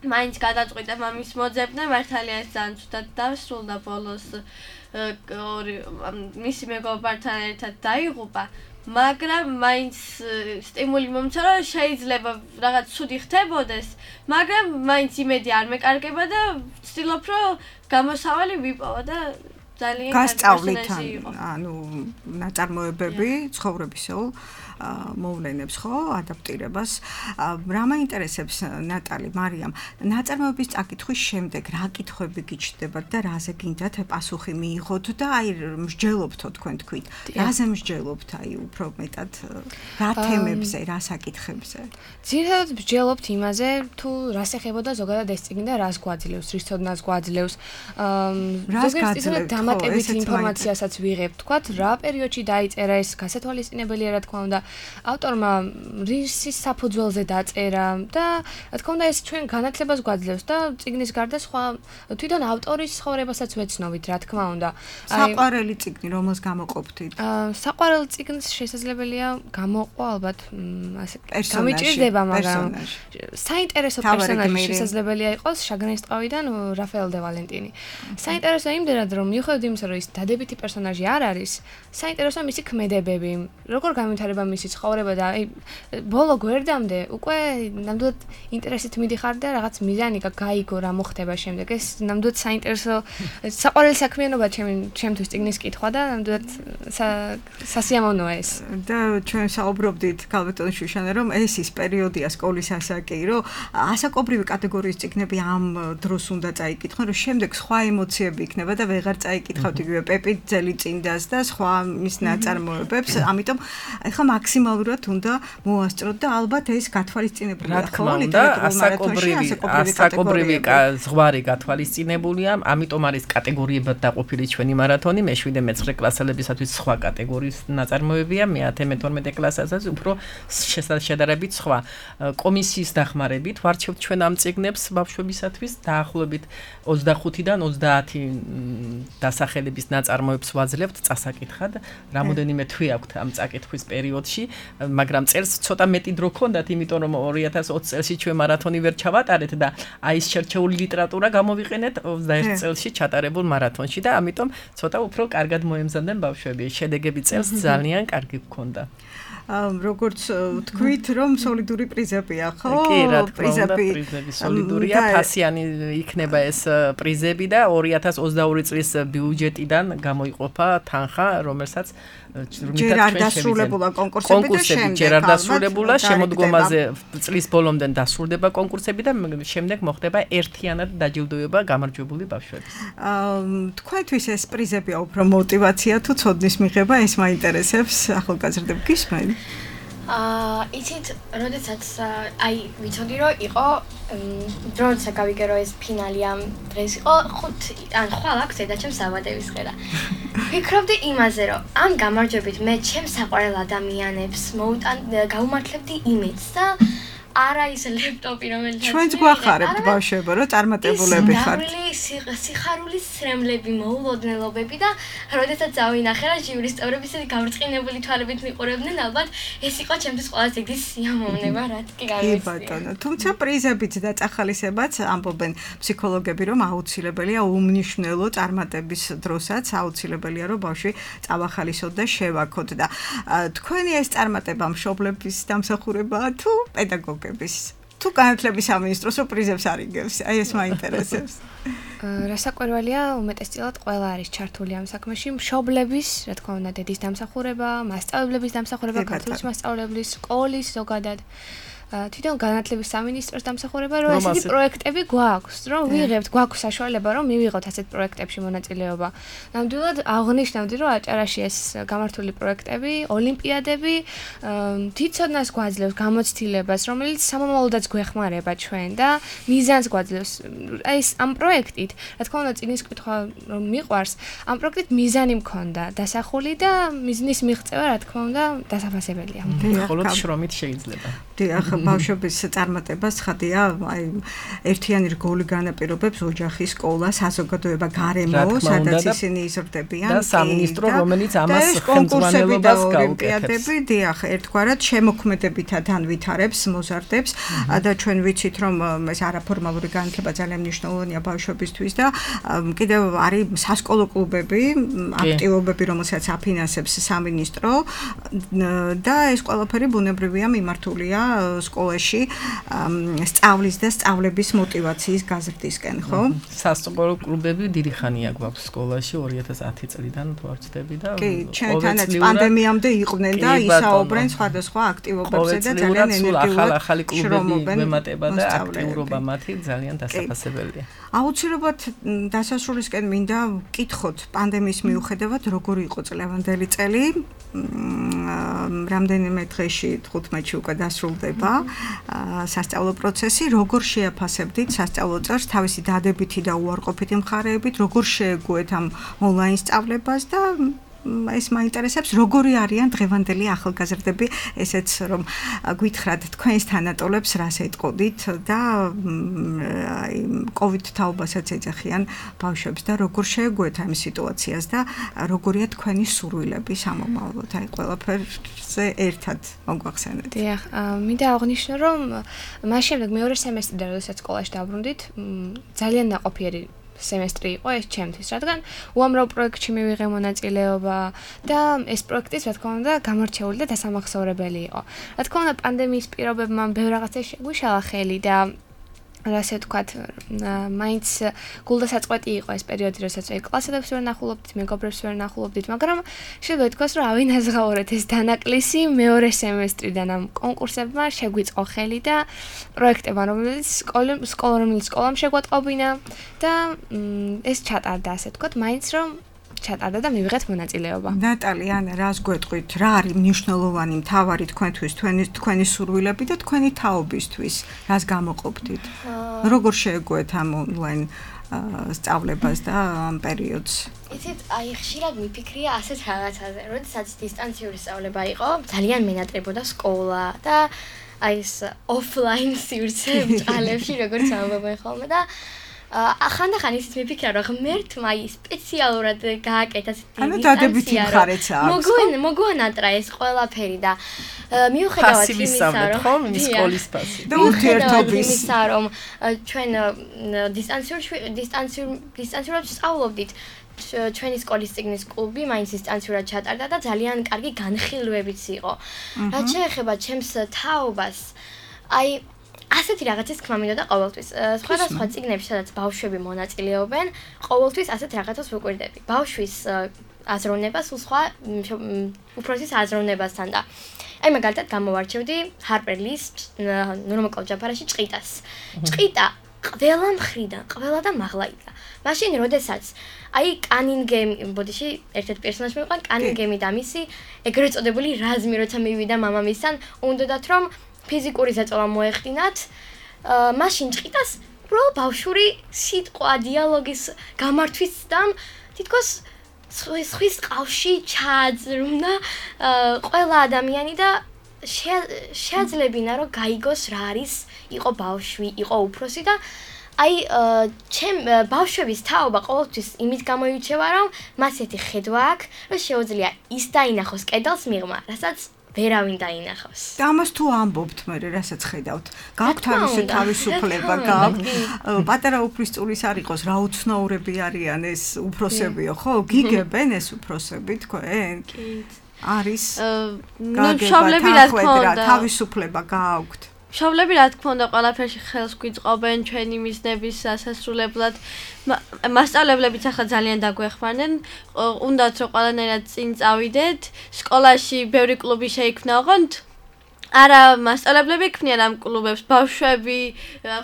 მაინც გადაწყვიტა მამის მოძებნა, მართალია ეს ძალიან ცუდად დასრულდა ბოლოს მისი მეგობართან ერთად დაიღუპა. მაგრამ მაინც სტიმული მომცა რომ შეიძლება რაღაც ცუდი ხდებოდეს, მაგრამ მაინც იმედი არ მეკარგება და ვცდილობ რომ გამოსავალი ვიპოვა და ძალიან გასწავლით ანუ ნაწარმოებები ცხოვრებისეულ მოვლენებს ხო ადაპტირებას რა მაინტერესებს ნატალი მარიამ ნაწარმოების წაკითხვის შემდეგ რა კითხვები გიჩნდებათ და რაზე გინდათ პასუხი მიიღოთ და აი მსჯელობთო თქვენ თქვით რაზე მსჯელობთ აი უფრო მეტად რა თემებზე რა საკითხებზე ძირითადად მსჯელობთ იმაზე თუ რას ეხებოდა ზოგადად ეს წიგნი და რას გვაძლევს რის ცოდნას გვაძლევს ზოგადად დამატებით ინფორმაციასაც ვიღებთ თქვათ რა პერიოდში დაიწერა ეს გასათვალისწინებელია რა თქმა უნდა ავტორმა რის საფუძველზე დაწერა და რა თქმა უნდა ეს ჩვენ განათლებას გვაძლევს და წიგნის გარდა სხვა თვითონ ავტორის ცხოვრებასაც ვეცნობით რა თქმა უნდა საყვარელი წიგნი რომელს გამოყოფთით საყვარელ წიგნს შესაძლებელია გამოყვა ალბათ ასე გამიჭირდება მაგრამ საინტერესო პერსონაჟი შესაძლებელია იყოს შაგრენსტყავიდან რაფაელ დე ვალენტინი საინტერესო იმდენად რომ მიუხედავად იმისა რომ ის დადებითი პერსონაჟი არ არის საინტერესოა მისი ქმედებები როგორ გამვითარება მისი ცხოვრება და აი ბოლო გვერდამდე უკვე ნამდვილად ინტერესით მიდიხარ და რაღაც მიზანი გაიგო რა მოხდება შემდეგ ეს ნამდვილად საინტერესო საყვარელი საქმიანობა ჩემთვის წიგნის კითხვა და ნამდვილად სასიამოვნოა ეს და ჩვენ საუბრობდით ქალბატონ შუშანა რომ ეს ის პერიოდია სკოლის ასაკი რომ ასაკობრივი კატეგორიის წიგნები ამ დროს უნდა წაიკითხონ რომ შემდეგ სხვა ემოციები იქნება და ვეღარ წაიკითხავთ იგივე პეპი ძელიწინდას და სხვა მის ნაწარმოებებს ამიტომ ახლა მაქსიმალურად უნდა მოასწროთ და ალბათ ეს გათვალისწინებულია ხო ასაკობრივი ზღვარი გათვალისწინებულია ამიტომ არის კატეგორიებად დაყოფილი ჩვენი მარათონი მე-7 მე-9 კლასელებისათვის სხვა კატეგორიის ნაწარმოებია მე-10-12 კლასასაც უფრო შედარებით სხვა კომისიის დახმარებით ვარჩევთ ჩვენ ამ წიგნებს ბავშვებისათვის დაახლოებით 25-დან 30 დასახელების ნაწარმოებს ვაძლევთ წასაკითხად რამოდენიმე თვე აქვთ ამ წაკითხვის პერიოდში, მაგრამ წელს ცოტა მეტი დრო ქონდათ, იმიტომ რომ 2020 წელში ჩვენ მარათონი ვერ ჩავატარეთ და აი ეს შერჩეული ლიტერატურა გამოვიყენეთ 21 წელში ჩატარებულ მარათონში და ამიტომ ცოტა უფრო კარგად მოემზადნენ ბავშვები. შედეგები წელს ძალიან კარგი გქონდა. როგორც თქვით რომ სოლიდური პრიზებია, ხო? კი, რა თქმა უნდა, პრიზები სოლიდურია, ფასიანი იქნება ეს პრიზები და 2022 წლის ბიუჯეტიდან გამოიყოფა თანხა, რომელსაც ჯერ არ დასრულებულა კონკურსები და შემდეგ ჯერ არ დასრულებულა, შემოდგომაზე წლის ბოლომდე დასრულდება კონკურსები და შემდეგ მოხდება ერთიანად დაჯილდოება გამარჯვებული ბავშვების. თქვენთვის ეს პრიზებია უფრო мотиваცია თუ ცოდნის მიღება, ეს მაინტერესებს ახალგაზრდებს გისმენ? იცით, როდესაც აი ვიცოდი რომ იყო როდესაც გავიგე რომ ეს ფინალი ამ დღეს იყო 5 ან ხვალ აქვს და ჩემს საბადების ხედა. ვფიქრობდი იმაზე რომ ამ გამარჯვებით მე ჩემს საყვარელ ადამიანებს გავუმართლებდი იმედს და არა ის ლეპტოპი რომელიც ჩვენც გვახარებთ ბავშვებო რომ წარმატებულები ხართ. სიხარულის სრემლები, მოულოდნელობები და როდესაც წავინახე რა ჟიურის წევრები ისეთი გავრწყინებული თვალებით მიყურებდნენ ალბათ ეს იყო ჩემთვის ყველაზე დიდი სიამოვნება რაც კი გამიცდია. კი ბატონო, თუმცა პრიზებით და წახალისებაც ამბობენ ფსიქოლოგები რომ აუცილებელია უმნიშვნელო წარმატების დროსაც აუცილებელია რომ ბავშვი წავახალისოთ და შევაქოთ და თქვენი ეს წარმატება მშობლების დამსახურებაა თუ პედაგოგების თუ განათლების სამინისტროს პრიზებს არიგებს. აი ეს მაინტერესებს. რასაკვირველია, უმეტესწილად ყველა არის ჩართული ამ საქმეში, მშობლების, რა თქმა უნდა, დედის დამსახურება, მასწავლებლების დამსახურება, ქართულის მასწავლებლის, სკოლის ზოგადად. თვითონ განათლების სამინისტროს დამსახურება, რომ ესეთი პროექტები გვაქვს, რომ ვიღებთ, გვაქვს საშუალება, რომ მივიღოთ ასეთ პროექტებში მონაწილეობა. ნამდვილად აღნიშნავდი, რომ აჭარაში ეს გამართული პროექტები, ოლიმპიადები თვითცოდნას გვაძლევს, გამოცდილებას, რომელიც სამომავლოდაც გვეხმარება ჩვენ და მიზანს გვაძლევს. აი ეს ამ პროექტით, რა თქმა უნდა, წინის კითხვა რომ მიყვარს, ამ პროექტით მიზანი მქონდა დასახული და მიზნის მიღწევა, რა თქმა უნდა, დასაფასებელია. მხოლოდ შრომით შეიძლება. დიახ, ბავშვების წარმატება ცხადია, აი ერთიანი რგოლი განაპირობებს ოჯახის, სკოლა, საზოგადოება, გარემო, სადაც ისინი იზრდებიან და სამინისტრო, რომელიც ამას ხელმძღვანელობას გაუკეთებს. დიახ, ერთგვარად შემოქმედებითად ანვითარებს, მოზარდებს და ჩვენ ვიცით, რომ ეს არაფორმალური განათლება ძალიან მნიშვნელოვანია ბავშვებისთვის და კიდევ არის სასკოლო კლუბები, აქტივობები, რომელსაც აფინანსებს სამინისტრო და ეს ყველაფერი ბუნებრივია მიმართულია სკოლაში სწავლის და სწავლების мотиваციის გაზრდისკენ, ხო? სასკოლო კლუბები დიდი ხანია გვაქვს სკოლაში 2010 წლიდან თუ არ ვცდები და კი, ჩვენთანაც პანდემიამდე იყვნენ და ისაუბრენ სხვადასხვა აქტივობებზე და ძალიან ენერგიულად ახალი კლუბები მემატება და აქტიურობა მათი ძალიან დასაფასებელია. აუცილებლად დასასრულისკენ მინდა ვკითხოთ პანდემიის მიუხედავად როგორი იყო წლევანდელი წელი. რამდენიმე დღეში 15-ში უკვე დასრულდება სასწავლო პროცესი, როგორ შეაფასებდით სასწავლო წელს თავისი დადებითი და უარყოფითი მხარეებით, როგორ შეეგუეთ ამ ონლაინ სწავლებას და ეს მაინტერესებს, როგორი არიან დღევანდელი ახალგაზრდები, ესეც რომ გვითხრათ თქვენს თანატოლებს რას ეტყოდით და აი COVID თაობასაც ეძახიან ბავშვებს და როგორ შეეგუეთ ამ სიტუაციას და როგორია თქვენი სურვილები სამომავლოდ, აი ყველაფერზე ერთად მოგვახსენეთ. დიახ, მინდა აღნიშნო, რომ მას შემდეგ მეორე სემესტრიდან, როდესაც სკოლაში დაბრუნდით, ძალიან ნაყოფიერი semestri იყო ეს ჩემთვის, რადგან უამრავ პროექტში მივიღე მონაწილეობა და ეს პროექტიც, რა თქმა უნდა, გამორჩეული და დასამახსოვრებელი იყო. რა თქმა უნდა, პანდემიის პირობებმა ბევრ რაღაცას შეგვიშალა ხელი და ასე ვთქვათ, მაინც გულდასაწყვეტი იყო ეს პერიოდი, როდესაც კლასელებს ვერ ნახულობდით, მეგობრებს ვერ ნახულობდით, მაგრამ შეიძლება ითქვას, რომ ავინაზღაურეთ ეს დანაკლისი მეორე სემესტრიდან ამ კონკურსებმა შეგვიწყო ხელი და პროექტებმა, რომელიც სკოლამ შეგვატყობინა და ეს ჩატარდა, ასე ვთქვათ, მაინც რომ ჩატარდა და მივიღეთ მონაწილეობა. ნატალი, ანა, რას გვეტყვით? რა არის მნიშვნელოვანი მთავარი თქვენთვის, თქვენი სურვილები და თქვენი თაობისთვის? რას გამოყოფდით? როგორ შეეგუეთ ამ ონლაინ სწავლებას და ამ პერიოდს? იცით, აი ხშირად მიფიქრია ასეთ რაღაცაზე, როდესაც დისტანციური სწავლება იყო, ძალიან მენატრებოდა სკოლა და აი ეს ოფლაინ სივრცე ბჭყალებში, როგორც ამბობენ ხოლმე და ახანდახან ისიც მიფიქრა, რომ ღმერთმა სპეციალურად გააკეთა ანუ დადებითი მხარეც აქვს. მოგვანატრა ეს ყველაფერი და მიუხედავად იმისა, რომ სკოლის პასი და ურთიერთობისა, რომ ჩვენ დისტანციურად სწავლობდით, ჩვენი სკოლის წიგნის კლუბი მაინც დისტანციურად ჩატარდა და ძალიან კარგი განხილვებიც იყო. რაც შეეხება ჩემს თაობას, აი ასეთი რაღაცის თქმა მინდოდა ყოველთვის. სხვადასხვა წიგნებში, სადაც ბავშვები მონაწილეობენ, ყოველთვის ასეთ რაღაცას ვუკვირდები. ბავშვის აზროვნება სულ სხვა უფროსის აზროვნებასთან და აი მაგალითად გამოვარჩევდი Harper Lee-ს ნორმალ ჯაფარაში ჭყიტას. ჭყიტა ყველა მხრიდან, ყველა და მაღლა იდგა. მაშინ როდესაც აი კანინგემი, ბოდიში ერთ-ერთ პერსონაჟი მიყვა კანინგემი და მისი ეგრეთ წოდებული რაზმი, როცა მივიდა მამამისთან, უნდათ რომ ფიზიკური ზეწოლა მოეხდინათ, მაშინ ჭყიტას უბრალოდ ბავშვური სიტყვა, დიალოგის გამართვის და თითქოს სხვის ყავში ჩააძრმნა ყველა ადამიანი და შეაძლებინა რომ გაიგოს რა არის იყო ბავშვი, იყო უფროსი და აი ჩემ ბავშვების თაობა ყოველთვის იმით გამოირჩევა რომ მას ერთი ხედვა აქვს, რომ შეუძლია ის დაინახოს კედელს მიღმა, რასაც ვერავინ დაინახავს. და ამას თუ ამბობთ მე, რასაც ხედავთ, გაქვთ თავისუფლება, გაქვთ პატარა უფლისწულის არ იყოს, რა უცნაურები არიან ეს უფროსებიო, ხო? გიგებენ ეს უფროსები თქვენ? კი. არის მშობლები რა თქმა უნდა თავისუფლება გაქვთ. მშობლები რა თქმა უნდა ყველაფერში ხელს გვიწყობენ ჩვენი მიზნების სასასრულებლად. მასწავლებლებიც ახლა ძალიან დაგვეხმარნენ. უნდათ რომ ყველანაირად წინ წავიდეთ. სკოლაში ბევრი კლუბი შეიქმნა, ოღონდ არა მასწავლებლები ქმნიან ამ კლუბებს, ბავშვები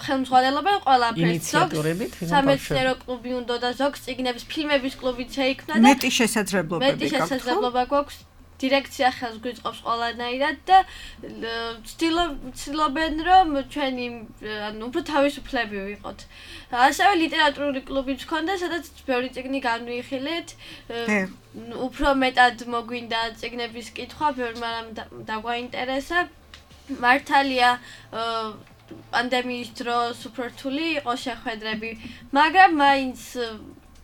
ხელმძღვანელობენ ყველაფერს. სამეცნიერო კლუბი უნდა და ზოგს წიგნების, ფილმების კლუბიც შეიქმნა და მეტი შესაძლებლობა გვაქვს. დირექცია ხელს გვიწყობს ყველანაირად და ცდილობენ რომ ჩვენი უფრო თავისუფლები ვიყოთ. ასევე ლიტერატურული კლუბიც ჰქონდა, სადაც ბევრი წიგნი განვიხილეთ. უფრო მეტად მოგვინდა წიგნების კითხვა, ბევრი რამ დაგვაინტერესა. მართალია პანდემიის დროს უფრო რთული იყო შეხვედრები, მაგრამ მაინც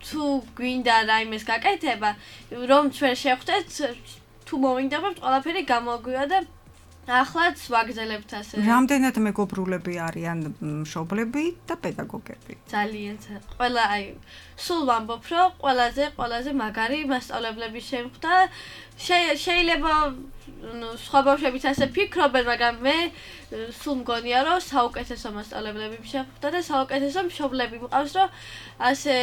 თუ გვინდა რაიმეს გაკეთება, რომ ჩვენ შევხვდეთ თუ მოვინდებთ ყველაფერი გამოგვია და ახლაც ვაგრძელებთ ასე. რამდენად მეგობრულები არიან მშობლები და პედაგოგები? ძალიან ყველა სულ ვამბობ რომ ყველაზე მაგარი მასწავლებლები შემხვდა. შეიძლება სხვა ბავშვებიც ასე ფიქრობენ, მაგრამ მე სულ მგონია რომ საუკეთესო მასწავლებლები შემხვდა და საუკეთესო მშობლები მყავს, რომ ასე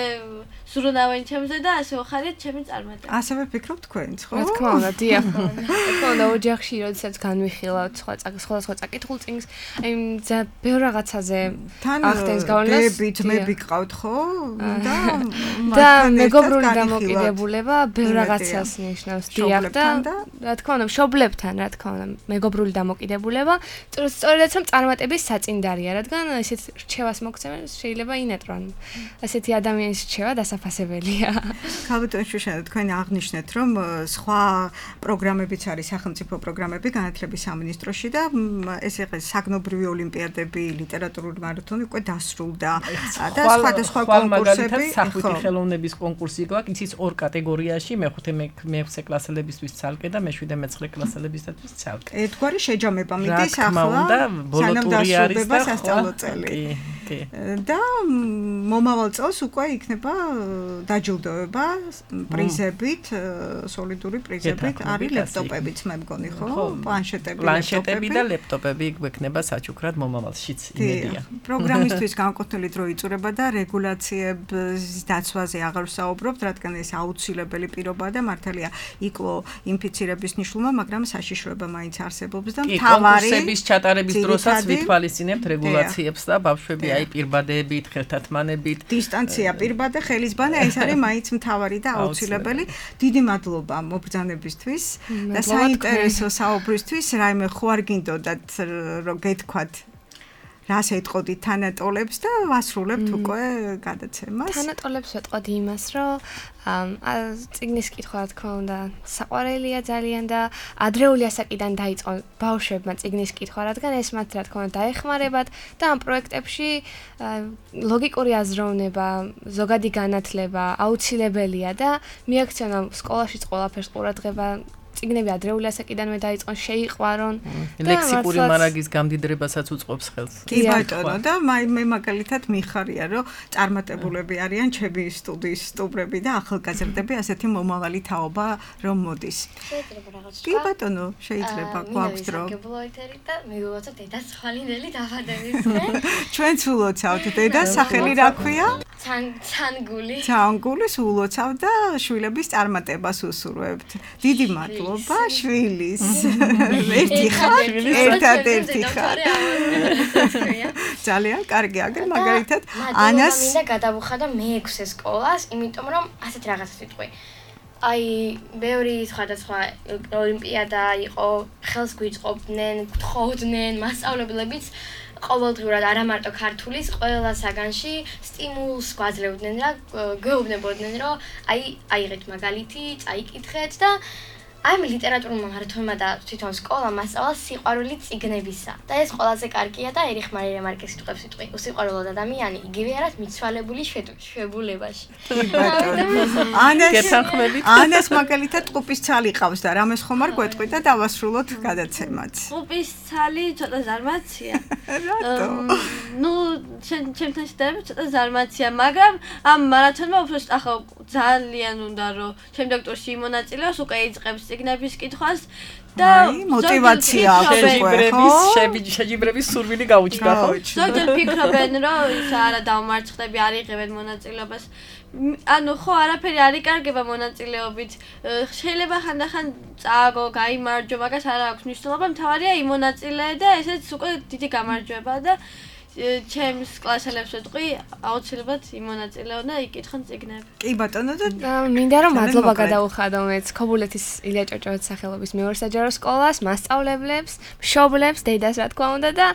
ზრუნავენ ჩემზე და ასე ვხარიათ ჩემი წარმატება. ასევე ფიქრობ თქვენც, ხო? რა თქმა უნდა, დიახ. რა თქმა უნდა, ოჯახში როდესაც განვიხილავთ სხვადასხვა წაკითხულ წიგნს, აი ბევრ რაღაცაზე ახდენს გავლენას. ძმები გყავთ, ხო? და მეგობრული დამოკიდებულება ბევრ რაღაცას ნიშნავს, დიახ და რა თქმა უნდა, მშობლებთან, რა თქმა უნდა, მეგობრული დამოკიდებულება, სწორედაც რომ წარმატების საწინდარია, რადგან ესეთ რჩევას მოგცემენ შეიძლება ინეტრონ. ასეთი ადამიანის რჩევა დასაფასებელია. ქალბატონ შუშანა, თქვენ აღნიშნეთ, რომ სხვა პროგრამებიც არის, სახელმწიფო პროგრამები განათლების სამინისტროში და ეს ეს საგნობრივი ოლიმპიადები, ლიტერატურული მარათონი უკვე დასრულდა და სხვადასხვა კონკურსები, სახვითი ხელოვნების კონკურსი გვაქვს, იცის ორ კატეგორიაში, მე-5 კლასელებისთვის ცალკე და მე-7 მე-9 კლასელებისთვის ცალკე. ერთგვარი შეჯამება მიდის ახლა, სანამ დასრულდება სასწავლო წელი. და მომავალ წელს უკვე იქნება დაჯილდოება პრიზებით, სოლიდური პრიზებით, არის ლეპტოპებიც, მე მგონი, ხო? პლანშეტები და ლეპტოპები გვექნება საჩუქრად მომავალშიც, იმედია. პროგრამისტვის განკუთვნილი დრო იწურება და რეგულაციების დაცვაზე აღარ ვსაუბრობთ, რადგან ეს აუცილებელი პირობაა და მართალია იკლო ინფიცირების ნიშნულმა, მაგრამ საშიშროება მაინც არსებობს და მთავარი კონკურსების ჩატარების დროსაც ვითვალისწინებთ რეგულაციებს და ბავშვები აი პირბადეებით, ხელთათმანებით, დისტანცია, პირბადე, ხელისბანა, ეს არის მაინც მთავარი და აუცილებელი. დიდი მადლობა მობრძანებისთვის და საინტერესო საუბრისთვის. რაიმე ხო არ გინდოდათ რომ გეთქვათ რას ეტყოდით თანატოლებს და ვასრულებთ უკვე გადაცემას. თანატოლებს ვეტყოდი იმას, რომ წიგნის კითხვა რა თქმა უნდა საყვარელია ძალიან და ადრეული ასაკიდან დაიწყო ბავშვებმა წიგნის კითხვა, რადგან ეს მათ რა თქმა უნდა დაეხმარებათ და ამ პროექტებში ლოგიკური აზროვნება, ზოგადი განათლება აუცილებელია და მიაქციონა სკოლაშიც ყველაფერს ყურადღება წიგნები ადრეული ასაკიდანვე დაიწყონ, შეიყვარონ. ლექსიკური მარაგის გამდიდრებასაც უწყობს ხელს. კი ბატონო, და მე მაგალითად მიხარია, რომ წარმატებულები არიან ჩემი სტუდიის სტუმრები და ახალგაზრდები, ასეთი მომავალი თაობა რომ მოდის. შეიძლება რაღაც კი ბატონო, შეიძლება გვაქვს დრო. და მივიღოთ დედას ხვალინელი დაბადებისკენ. ჩვენც ულოცავთ დედას, სახელი რა ქვია? ცანგული. ცანგულის ულოცავთ და შვილების წარმატებას უსურვებთ. დიდი მადლობა შვილის. ერთი ხარ, ერთადერთი ხარ. ძალიან კარგი, აგერ მაგალითად ანას მინდა გადავუხადო მე-6 სკოლას, იმიტომ რომ ასეთ რაღაცას ვიტყვი. აი, ბევრი სხვადასხვა ოლიმპიადა იყო, ხელს გვიწყობდნენ, გთხოვდნენ, მასწავლებლებიც ყოველდღურად არა მარტო ქართულის ყველა საგანში სტიმულს გვაძლევდნენ და გვეუბნებოდნენ, რომ აი, აიღეთ მაგალითი, წაიკითხეთ და აი მე ლიტერატურულ მარათონმა და თვითონ სკოლამ მასწავლა სიყვარული წიგნებისა. და ეს ყველაზე კარგია და ერიხ მარია მარკეს სიტყვებს ვიტყვი. უსიყვარულო ადამიანი იგივე არის მიცვალებული შვებულებაში. ანას მაგალითად ტყუპის ცალი ყავს და რამეს ხომ არ გვეტყვი და დავასრულოთ გადაცემაც. ტყუპის ცალი ცოტა ზარმაცია. ნუ ჩემთან შედარებით ცოტა ზარმაცია, მაგრამ ამ მარათონმა უფრო ახლა ძალიან უნდა რომ შემდეგ ტურში იმონაწილეოს, უკვე იწყებს წიგნების კითხვას და мотивация შეჯიბრების სურვილი გაუჩნდა ხო? ზოგჯერ ფიქრობენ რომ ის არა დავმარცხდები, არ იღებენ მონაწილეობას. ანუ ხო არაფერი არ იკარგება მონაწილეობით. შეიძლება ხანდახან წააგო, გაიმარჯვო, მაგას არ აქვს მნიშვნელობა, მთავარია იმონაწილე და ესეც უკვე დიდი გამარჯვება და ჩემს კლასელებს ვეთქვი, აუცილებლად იმონაწილეონ და იკითხონ წიგნები. კი ბატონო და მინდა რომ მადლობა გადაუხადო მეც ქობულეთის ილია ჭავჭავაძის სახელობის მეორე საჯარო სკოლას, მასწავლებლებს, მშობლებს, დედას რა თქმა უნდა და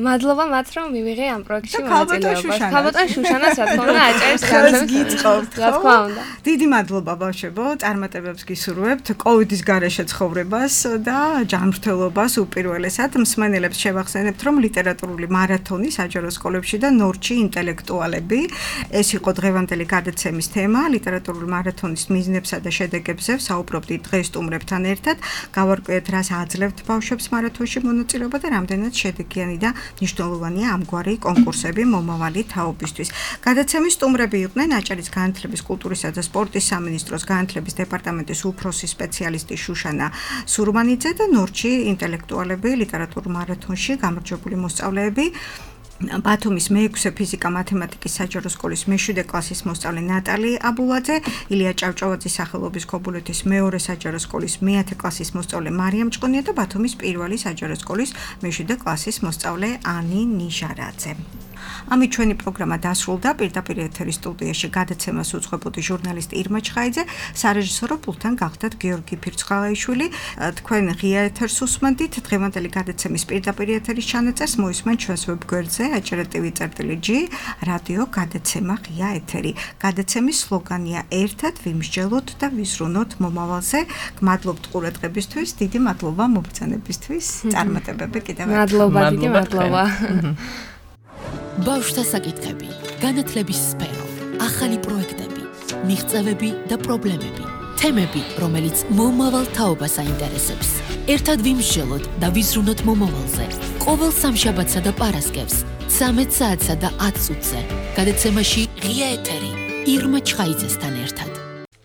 მადლობა მათ რომ მივიღე ამ პროექტში მონაწილეობას. ქალბატონ შუშანას რა თქმა უნდა აჭარის ხელს გიწყობთ, რა თქმა უნდა. დიდი მადლობა ბავშვებო, წარმატებებს გისურვებთ კოვიდის გარეშე ცხოვრებას და ჯანმრთელობას უპირველესად. მსმენელებს შევახსენებთ რომ ლიტერატურული მარათონი საჯარო სკოლებში და ნორჩი ინტელექტუალები. ეს იყო დღევანდელი გადაცემის თემა. ლიტერატურული მარათონის მიზნებსა და შედეგებზე საუბრობთ დღეს სტუმრებთან ერთად. გავარკვიეთ, რას აძლევთ ბავშვებს მარათონში მონაწილეობა და რამდენად შედეგიანი და მნიშვნელოვანია ამგვარი კონკურსები მომავალი თაობისთვის. გადაცემის სტუმრები იყვნენ აჭარის განათლების, კულტურისა და სპორტის სამინისტროს განათლების დეპარტამენტის უფროსი სპეციალისტი შუშანა სურმანიძე და ნორჩი ინტელექტუალები ლიტერატურულ მარათონში გამარჯვებული მოსწავლეები. ბათუმის მე-6 ფიზიკა-მათემატიკის საჯარო სკოლის მე-7 კლასის მოსწავლე ნატალი აბულაძე, ილია ჭავჭავაძის სახელობის ქობულეთის მეორე საჯარო სკოლის მე-10 კლასის მოსწავლე მარიამ ჭყონია და ბათუმის პირველი საჯარო სკოლის მე-7 კლასის მოსწავლე ანი ნიჟარაძე. ამით ჩვენი პროგრამა დასრულდა. პირდაპირ ეთერის სტუდიაში გადაცემას უძღვებოდი ჟურნალისტი ირმა ჩხაიძე, სარეჟისორო პულტთან გახდათ გიორგი ფირცხალაიშვილი. თქვენ ღია ეთერს უსმენთ. დღევანდელი გადაცემის პირდაპირ ეთერის ჩანაწერს მოისმენთ ჩვენს ვებგვერდზე aჭრატv.g რადიო გადაცემა ღია ეთერი. გადაცემის სლოგანია ერთად ვიმსჯელოთ და ვიზრუნოთ მომავალზე. გმადლობთ ყურადღებისთვის, დიდი მადლობა მობრძანებისთვის. წარმატებები კიდევ ერთხელ. მადლობა, დიდი მადლობა. ბავშვთა საკითხები, განათლების სფერო, ახალი პროექტები, მიღწევები და პრობლემები, თემები, რომელიც მომავალ თაობას აინტერესებს. ერთად ვიმსჯელოთ და ვიზრუნოთ მომავალზე. ყოველ სამშაბათსა და პარასკევს 13 საათსა და 10 წუთზე. გადაცემაში ღია ეთერი ირმა ჩხაიძესთან ერთად.